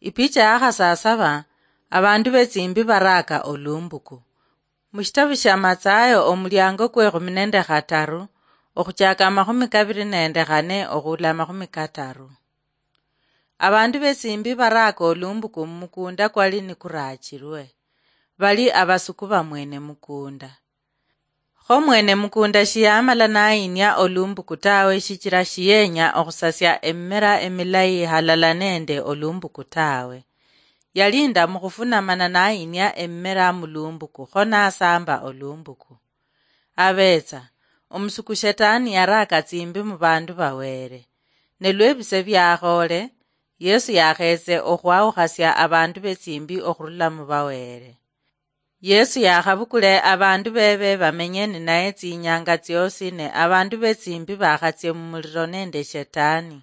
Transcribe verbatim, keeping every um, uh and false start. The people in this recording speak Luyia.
Ipicha ya khasasaba, abandu betsimbi baraaka olumbuku. Mushitabu shia Matsayo, omuliango kwe khumi nende khataru, okhuchaka amakhumi kabiri nende khane okhuula amakhumi kataru. Abandu betsimbi baraaka olumbuku mumukunda kwali nikuraachirwe. Bali abasuku ba mwene mukunda. Kho mwene mukunda shiyamala nayinia olumbuku tawe, shichira shiyenya okhusasia emimera emilayi halala nende olumbuku tawe. Yalinda mukhufuna mana nayinia emimera mulumbuku, kho nasamba olumbuku. Abetsa, omusuku Shetani yaraaka tsimbi mubandu ba Wele. Ne lwebise biakhoole, Yesu yakhetse okhwawukhasia abandu betsimbi okhurula muba Wele. Yesu yakhabukule abandu bebe bamenye ninaye tsinyanga tsiosi, ne abandu betsimbi bakhatsie mumuliro nende Shetani.